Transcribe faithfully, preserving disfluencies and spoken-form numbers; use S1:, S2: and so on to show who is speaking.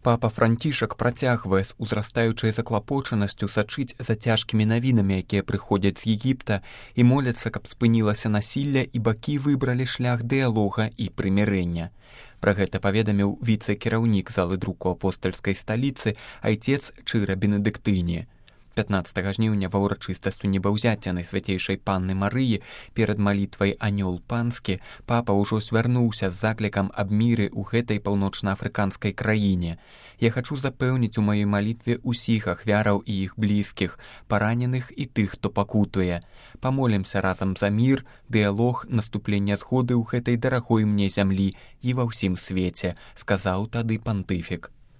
S1: Папа Францішак працягвае з узрастаючай заклапочанасцю сачыць за цяжкімі навінамі, якія прыходзяць з Егіпта, і моляцца, каб спынілася насілля і бакі выбралі шлях дыялога і прымірэння. Пра гэта паведаміў віцэ-кіраўнік залы друку апостальскай сталіцы айцец Чыра Бенедыктыні. пятнаццатага жніўня ва ўрачыстасці небаўзяцця Найсвяцейшай Панны Марыі перад малітвай «Анёл панскі» папа ўжо звярнуўся з заклікам аб міры ў гэтай паўночнаафрыканскай краіне. «Я хачу запэўніць у маёй малітве ўсіх ахвяраў і іх блізкіх, параненых і тых, хто пакутуе. Памолімся разам за мір, дыялог, наступленне згоды ў гэтай дарагой мне зямлі і ва ўсім свеце», сказаў тады пантыфік.